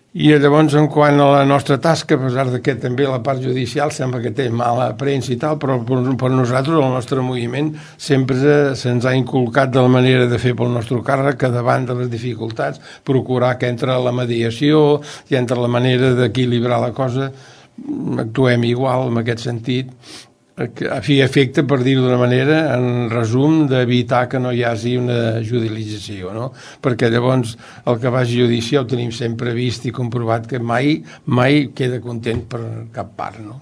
I llavors, en quant a la nostra tasca, a pesar de que també la part judicial sembla que té mala premsa i tal, però per nosaltres, el nostre moviment, sempre se'ns ha inculcat de la manera de fer pel nostre càrrec, que davant de les dificultats, procurar que entre la mediació i entre la manera d'equilibrar la cosa, actuem igual en aquest sentit, a fi efecte, per dir-ho d'una manera, en resum, d'evitar que no hi hagi una judicialització, no? Perquè llavors el que vagi a judici ho tenim sempre vist i comprovat que mai queda content per cap part, no?